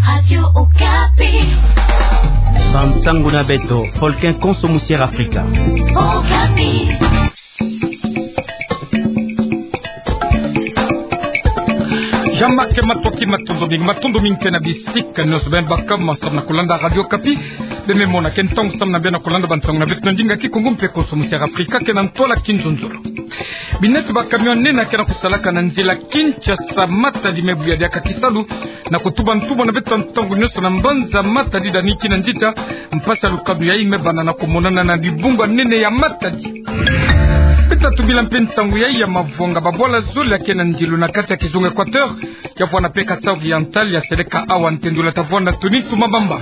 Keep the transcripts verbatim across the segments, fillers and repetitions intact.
Radio Okapi. Bansangu na beto, Folkin konso musière Afrika. Okapi. Jean-Marc Matoki, matondo mingi, matondo mingi mpe na bisika nyonso beno baka samu na kulanda Radio Okapi. Beno me mona ke ntangu samu na beno kulanda bansangu na beto na ndinga Kikongo mpe konso musière Afrika, ke na ntwala kinzonzolo. Binati ba camion nene ke na kusalaka na nzila Kinshasa Matadi me buya diaka kisalu na kutuba ntumwa na beto ntangu nyonso na mbanza Matadi, Dani Kinanzita. Mpasi ya lukanu yayi me banda na kumonana na dibungu ya nene ya Matadi. Beto tubila mpe nsangu yayi ya mavwanga, babwala zole ya ke na ndilu na kati ya kizunga Équateur, ya vwanda mpe Kasaï Oriental, ya seleka awa ntendula ta vwanda Tony Tumabamba.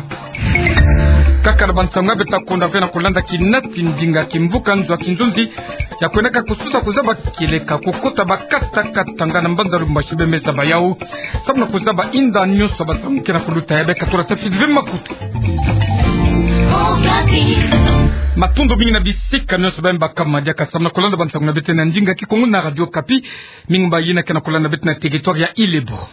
Kaka na bansangu ya beto kunda ve na kulanda kinati ndinga kimvuka nzo ya kinzonzi, ya kwendaka kususa kuzaba kieleka, kukota bakata katanga na mbanza Lubumbashi. Beno me zaba yawu samu na kuzaba inda nyonso bansangu ke na kuluta, ya beno ka tula ta fiti ve makutu. Matondo mingi na bisika nyonso beno baka diaka samu na kulanda bansangu na beto na ndinga Kikongo na Radio Okapi. Mingi mbayina ke na kulanda beto na territoire ya Ile-et-Bourg.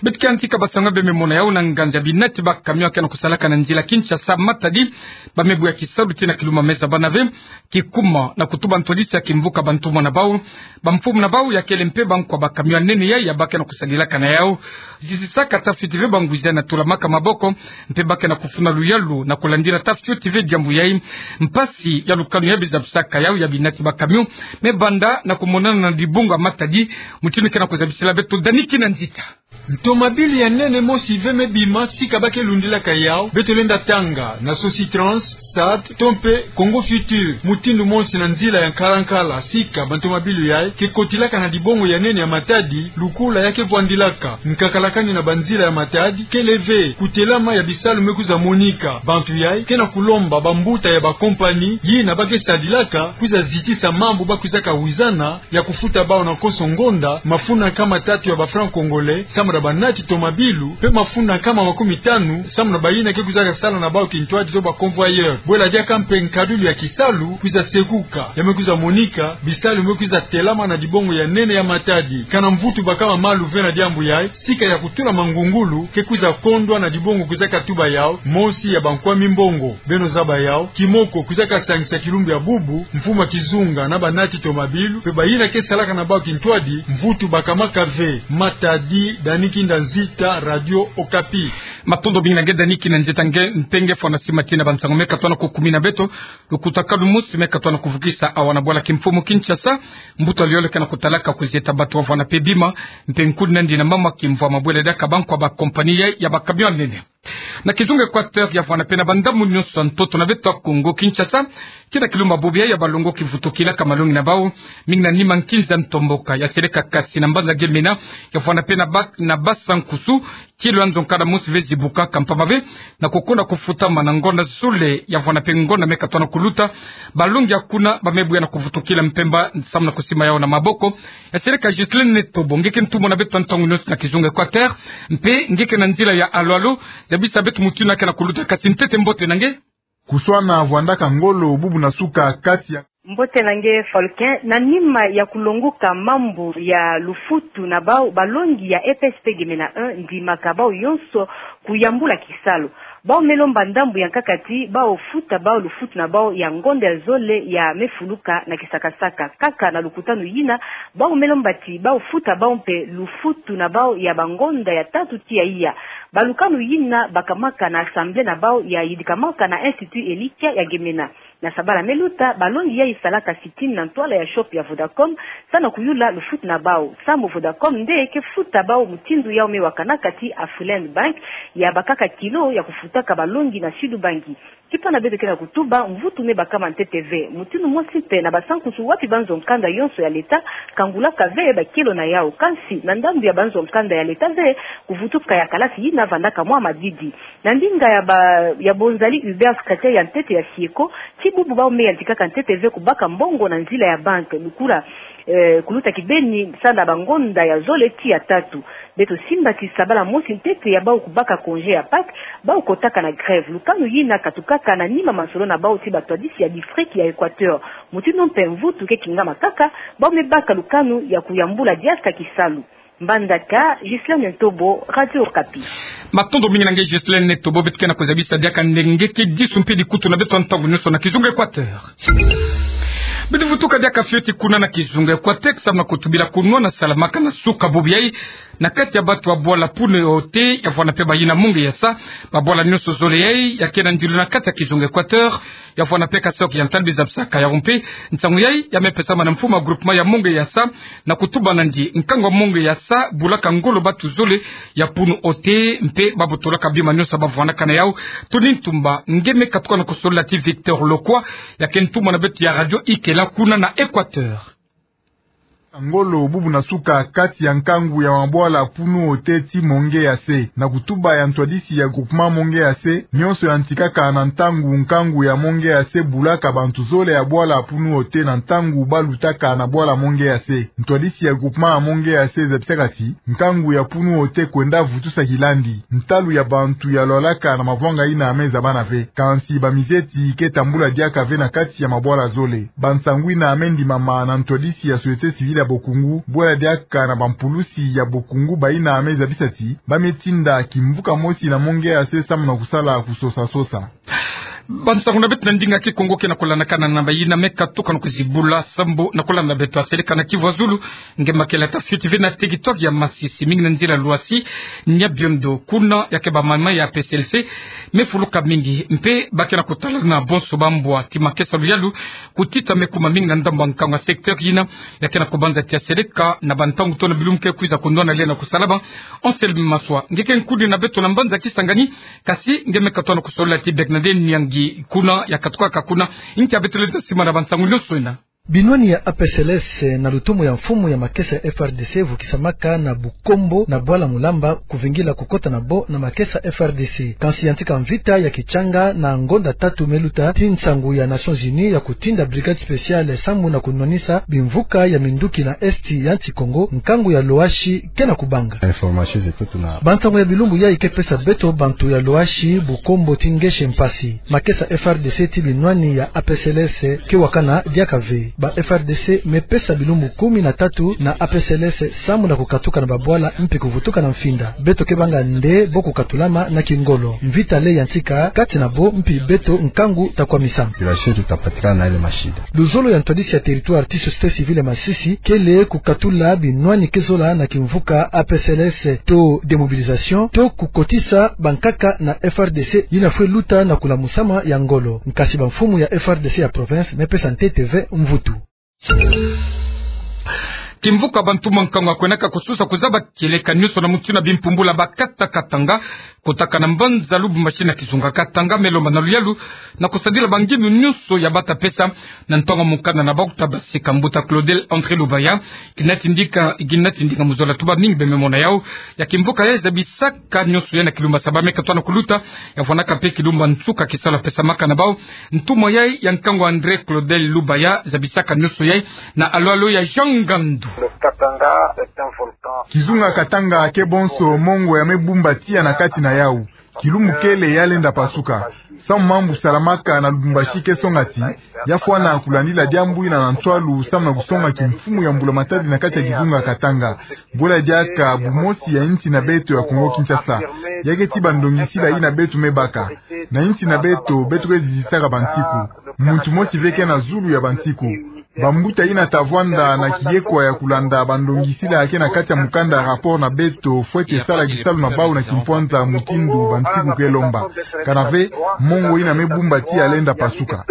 Beto ke yantika bansangu, beno me mona yawu na nganzi ya binati ba camion ke na kusalaka na nzila Kinshasa Matadi, ba me buya kisalu tii na kilumbu me zaba na ve, kikuma na kutuba ntwadisi ya kimvuka bantumwa na bawu, bamfumu na bawu, ya kele mpe bankwa ba camion nene yayi ya ba ke na kusadilaka na yawu. Zizisaka ta fiti ve banguzi ya na tulamaka maboko, mpe ba ke na kufuna luyalu na kulandila ta fioti ve diambu yayi. Mpasi ya lukanu ya bizabisaka yawu ya binati ba camion me banda na kumonana na dibungu ya Matadi, mutindu ke na kuzabisila beto Dani Kinanzita. Ntomabilu ya nene mosi ve me bima sika ba ke lundilaka yawu, beto lenda tanga na Sositrans, SAD, to mpe Congo Futur, mutindu mosi na nzila ya nkala-nkala. Sika bantomabilu yayi ke kotilaka na dibungu ya nene ya Matadi, lukula ya ke vwandilaka. Nkakalakani na banzila ya Matadi kele ve, kutelama ya bisalu me kwiza monika. Bantu yayi ke na kulomba bambuta ya bakompani yina ba ke sadilaka kwiza zitisa mambu ba kwizaka wizana ya kufuta bawu na konso ngonda mafunda nkama tatu ya ba francs congolais samu na banati tomabilu, mpe mafunda nkama makumi tanu samu na bayina ke kwizaka sala na bawu kintwadi to ba convoyeur. Bwela diaka mpe nkadulu ya kisalu kwiza sekuka, ya me kwiza monika, bisalu me kwiza telama na dibungu ya nene ya Matadi. Kana mvutu bakama malu ve na diambu yayi, sika ya kutula mangungulu ke kwiza kondwa na dibungu kwizaka tuba yawu, mosi ya bankwami mbongo. Beno zaba yawu, kimoko kwizaka sangisa kilumbu ya bubu, mfumu ya kizunga na banati tomabilu, mpe bayina ke salaka na bawu kintwadi, mvutu bakamaka ve. Matadi, Dani Kinanzita, Radio Okapi. Matondo mingi na nge Dani Kinanzita, nge mpe nge fwana sima tii na bansangu me katona kukumina beto. Lukutakanu mosi me katona kuvukisa awa na bwala kimfumu Kinshasa, mbuta Liole ke na kutalaka kuzieta bato wavwana mpe bima, mpe nkudi na yandi na mama kimvwama bwela diaka bankwa ba kompani yayi ya ba camion nene. Na kizunga Équateur, ya vwana mpe na bandambu nyonso ya ntoto na beto ya Congo Kinshasa, kina kilumbu bubu yayi ya balongo kivutukilaka malongi na bawu, mingi na nima nkinza ntomboka ya seleka kasi na mbanza Gemena, ya vwana mpe na ba-, na Basa-Nkusu, kilo ya nzo nkanda mosi ve zibukaka mpamba ve na kukonda kufutama na ngonda zole, ya vwana mpe ngonda me katona kuluta. Balongi ya kuna ba me buya na kuvutukila mpemba samu na kusima yawu na maboko. Ya seleka Ghislaine Netobo, nge ke ntumwa na beto ntangu nyonso na kizunga Équateur, mpe nge ke na nzila ya alo-alo, zabisa beto mutindu ke na kuluta, kasi ntete mbote na nge. Kuswana vwandaka ngolo bubu na suka kati ya. Mbote na nge Folkin, na nima ya kulonguka mambu ya lufutu na bawu, balongi ya E P S P Gemena un ndimaka bawu yonso kuyambula kisalu. Bawu me lomba ndambu ya nkaka ti bawu futa bawu lufutu na bawu ya ngonda ya zole ya me fuluka na kisakasaka. Kaka na lukutanu yina, bawu me lomba ti bawu futa bawu mpe lufutu na bawu ya bangonda ya tatu tii ya iya. Balukanu yina bakamaka na assemblée na bawu ya yidikamaka na Institut Elikia ya Gemena. Na sabala me luta, balongi yayi salaka sit-in na ntwala ya shop ya Vodacom, samu na kuyula lufutu na bawu. Samu Vodacom nde ke futa bawu mutindu yawu me wakanaka tii Afriland Bank, ya bakaka kilo ya kufutaka balongi na Sud Bangi. Kipana beto ke na kutuba, mvutu me bakama ntete ve. Mutindu mosi mpe na Basa-Nkusu, wapi banzo nkanda yonso ya leta kangulaka ve bakilo na yawu. Kansi na ndambu ya banzo nkanda ya leta ve, kuvutuka ya kalasi yina vandaka mwa madidi. Na ndinga ya ba-, ya Bonzali Hubert, secrétaire ya ntete ya SIECO, ti bubu bawu me yantikaka ntete ve kubaka mbongo na nzila ya banque, lukula, eh, kuluta kibeni samu na bangonda ya zole tii ya tatu. Beto simba ti sabala mosi ntete ya bawu kubaka congé ya Pâques, bawu kotaka na grève. Lukanu yina katukaka na nima masolo na bawu ti batwadisi ya district ya Équateur. Mutindu mpe mvutu ke kingama kaka, bawu me baka lukanu ya kuyambula diaka kisalu. Mbandaka, Ghislaine Ntobo, Radio Okapi. Matondo mingi na nge Ghislaine Ntobo, beto ke na kuzabisa diaka nde nge ke disu mpe dikutu na beto ya ntangu nyonso na kizunga Equateur. Beto vutuka diaka fioti kuna na kizunga Equateur, samu na kutubila kunwana salamaka na suka bubu yayi na kati ya batu ya bwala Punu Ote, ya vwanda mpe bayina Monge Yasa, babwala nyonso zole yayi ya ke na ndilu na kati ya kizunga Equateur, ya vwanda mpe Kasaï Oriental, biza bisaka yawu mpe. Nsangu yayi ya me pesama na mfumu ya groupement ya Monge Yasa, na kutuba nandi nkangu ya Monge Yasa bulaka ngolo batu zole ya Punu Ote, mpe babotolaka bima nyonso ba vwandaka na yawu. Tony Ntumba nge me katuka na kusolola ti Victor Lokwa, ya ke ntumwa na beto ya Radio Ikela kuna na Equateur. Ngolo bubu na suka kati ya nkangu ya mabwala Punu Ote ti Monge Yasa. Na kutuba ya ntwadisi ya groupement Monge Yasa, nyonso yantikaka na ntangu nkangu ya Monge Yasa bulaka bantu zole ya bwala Punu Ote na ntangu balutaka na bwala Monge Yasa. Ntwadisi ya groupement ya Monge Yasa zabisaka ti nkangu ya Punu Ote kwenda vutusa kilandi. Ntalu ya bantu ya lwalaka na mavwanga yina me zabana ve. Kansi bamizeti ke tambula diaka ve na kati ya mabwala zole. Bansangu yina me ndimama na ntwadisi ya société civile ya Bokungu, bwela diaka na bampulusi ya Bokungu bayina me zabisa ti ba me tinda kimvuka mosi na Monge Yasa samu na kusala kusosa-sosa. Bansangu na beto na ndinga Kikongo ke na kulandakana na bayina me katuka na kuzibula sambu na kulanda beto ya seleka na Kivu ya Zulu. Nge makela ta fioti ve na territoire ya Masisi, mingi na nzila Loasi, Nyabiondo, kuna ya ke bamama ya A P C L C me fuluka mingi, mpe ba ke na kutala na bonso bambwa ti makesa luyalu kutita me kuma mingi na ndambu ya nkangu ya secteur yina ya ke na kubanza ti ya seleka na bantangu to na bilumbu ke kwiza kunwana lenda kusalama. Anselme Maswa, nge ke nkuni na beto na mbanza Kisangani, kasi nge me katuka na kusolola ti Bernadette Nyangi, kuna ya katukaka kuna. Nkia beto lenda sima na bansangu nyonso yina? Binwani ya A P C L C na lutomo ya mfumu ya makesa ya F R D C vukisamaka na Bukombo na bwala Mulamba, kuvingila kukota na bo na makesa F R D C. Kansi yantika mvita ya kichanga na ngonda tatu me luta ti nsangu ya Nations Unies ya kutinda brigade spéciale samu na kunwanisa bimvuka ya minduki na Est ya nsi Kongo, nkangu ya Loasi ke na kubanga. Information zeto tuna. Bansangu ya bilumbu yayi ke pesa beto bantu ya Loasi, Bukombo ti Ngese mpasi. Makesa F R D C ti binwani ya A P C L S ke wakana diaka ve. Ba F R D C me pesa bilumbu kumi na tatu na A P C L S samu na kukatuka na babwala mpi kuvutuka na mfinda. Beto ke banga nde bo kukatulama na kingolo. Mvita le yantika kati na bo mpi beto nkangu ta kwamisama. Kila shetu tapatikana na ile mashida. Luzolo ya ntwadisi ya territoire ti société civile ya Masisi kele kukatula binwani ke zola na kimvuka A P C L S to démobilisation, to kukotisa bankaka na F R D C yina fwe luta na kulamusama ya ngolo. Nkasi bamfumu ya F R D C ya province me pesa ntete ve mvutu. Kimvuka bantu mwa nkangu ya kwenaka kususa kuzaba kieleka nyonso na mutu na bimpumbula ba kata Katanga, kotaka na mbanza Lubumbashi na kizunga Katanga, me lomba na luyalu na kusadila bangindu nyonso ya bata pesa na ntonga mukanda na bau kuta basika. Mbuta Claudel André Lubaya, kina tindika, kina tindika mu zola tuba mingi be me mona yau. Ya kimvuka ya zabisaka nyonso ya na kilumbu saba me katuka na kuluta, ya vwanaka mpe kilumbu nsuka kisalu pesamaka na bau. Ntumwa yayi ya nkangu André Claudel Lubaya zabisaka nyonso yayi na alo-alo ya Jean Ngandu. Kizunga Katanga ke bonso mongo ya me bumba tiya na kati na yau. Kilumbu kele ya lenda pasuka. Samu mambu salamaka na Lubumbashi ke songa ti ya fwana kulandila diambu yina na nswalu samu na kusonga kimfumu ya mbula matadi na kati ya kizunga Katanga. Bwela diaka bumosi ya insi na beto ya Kongo Kinshasa. Ya ke ti bandongisila yina beto me baka. Na insi na beto, beto ke zizitaka bansiku. Muntu mosi ve ke na zulu ya bansiku. Bambuta yina ta vwanda na kiyekwa ya kulanda bandongisila ke na kati ya mukanda rapport na beto, fwete sala kisalu na bau na kimpwanza mutindu bansiku ke lomba. Kana ve, mongo yina me bumba tiya lenda pasuka.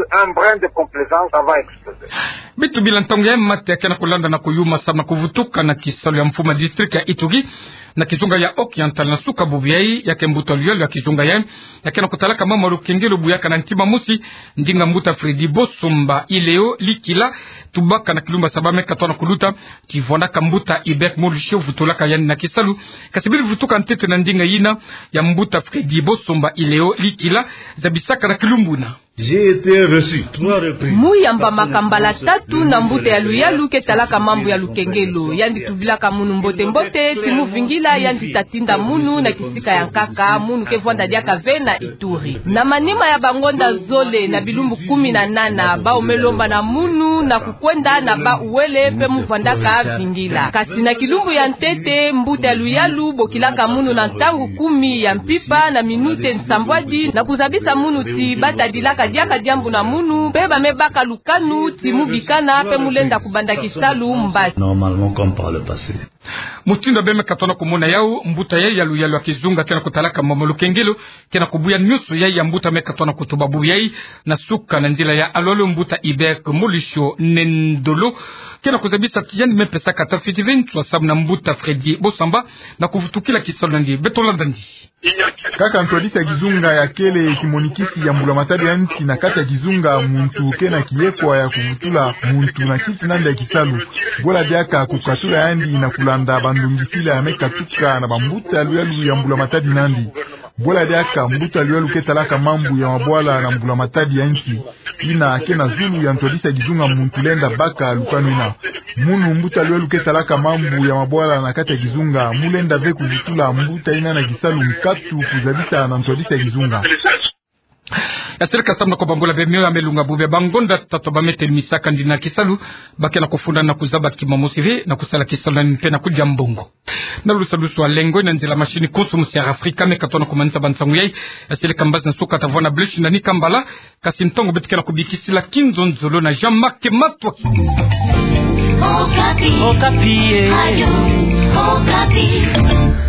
Beto bila ntangu ya mate ya ke na kulanda na kuyuma samu na kuvutuka na kisalu ya mfumu ya district ya Ituri na kizunga ya Oriental na suka bubu yayi, ya ke mbuta luyalu ya kizunga yayi ya ke na kutalaka mama lukengelo buyaka na ntima mosi, ndinga mbuta Freddy Bosomba Ileo Likila, tubaka na kilumbu saba me katuka na kuluta, ti vwanaka mbuta Hubert Molusho vutulaka yandi na kisalu. Kasi bili vutuka ntete na ndinga yina ya mbuta Freddy Bosomba Ileo Likila zabisaka na kilumbu yina. J'ai été reçu trois reprises. Mu yambamaka mbala tatu na mbuta ya luyalu ke talaka mambu ya lukengelo. Yandi tubilaka munu mbote-mbote, ti mu vingila yandi ta tinda munu na kisika ya nkaka, munu ke vwanda diaka ve na Ituri. Na manima ya bangonda zole na bilumbu kumi na nana, bau me lomba na munu na kukwenda na bau wele mpe mu vwandaka vingila. Kasi na kilumbu ya ntete, mbuta ya luyalu bokilaka munu na ntangu kumi ya mpimpa na minute nsambwadi, na kuzabisa munu ti ba tadilaka diaka diambu na munu, mpe ba me baka lukanu ti mu bikana mpe mu lenda kubanda kisalu mbasi. Normalement, comme par le passé. Mutindu bê me katona kumona yau, mbuta yai ya luyalu ya kizunga ke na kutalaka mambu ya lukengelo, ke na kubuya nyonso yai ya mbuta me katona kutuba bubu yai, na suka na nzila ya alualu mbuta Ibek Molisho Nendolo, ke na kuzabisa ti yandi me pesaka tafiti ve ntu ya samu na mbuta Freddy Bosamba, na kuvutukila kisalu nandi. Beto landa nandi. Kaka ntwadisi ya kizunga ya kele kimonikisi ya mbulamatadi ya nsi na kati ya kizunga, muntu ke na kiyekwa ya kuvutula muntu na kisi nandi ya kisalu. Bwela diaka kukatula yandi na kulanda bandungisila ya me katuka na bambuta ya luyalu ya mbulamatadi nandi. Bwela diaka mbuta ya luyalu ke talaka mambu ya mabwala na mbulamatadi ya nsi, ina ke na zulu ya ntwadisi ya kizunga muntu lenda baka lukanu ina. Munu mbuta ya luyalu ke talaka mambu ya mabwala na kati ya kizunga, mu lenda ve kuvutula mbuta ina na kisalu nkatu kuzabisa na ntwadisi ya kizunga. Ya sirika samu na kubambula bê mio ya me lunga bubu ya bangonda tatu ba me telimisaka ndina kisalu, ba ke na kufunda na kuzaba kimomosi ve na kusala kisalu nani mpe na kudia mbongo. Na lusalusu wa lengo, na nzila machine konso musi ya Afrika me katona kumanisa bansangu yai. Ya sirika mbazi na suka ta vwanda bleshi na ni kambala, kasi ntangu beto ke na kubikisila kinzonzolo na Jean-Marc Matwa. Okapi. Okapi, eh. Radio Okapi.